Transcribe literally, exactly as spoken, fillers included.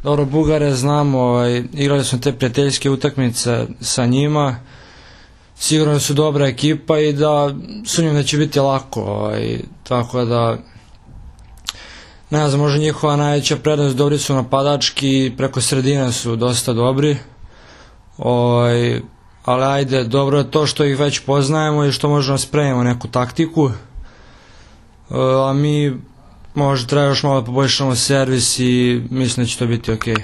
Dobro, Bugare znamo, igrali smo te prijateljske utakmice sa njima, sigurno su dobra ekipa i da sumnjam da će biti lako, tako da ne znam, možda njihova najveća prednost, dobri su napadački, preko sredine su dosta dobri, ali ajde, dobro je to što ih već poznajemo i što možemo spremimo neku taktiku, a mi možda treba još malo da poboljšamo servis i mislim da će to biti okej.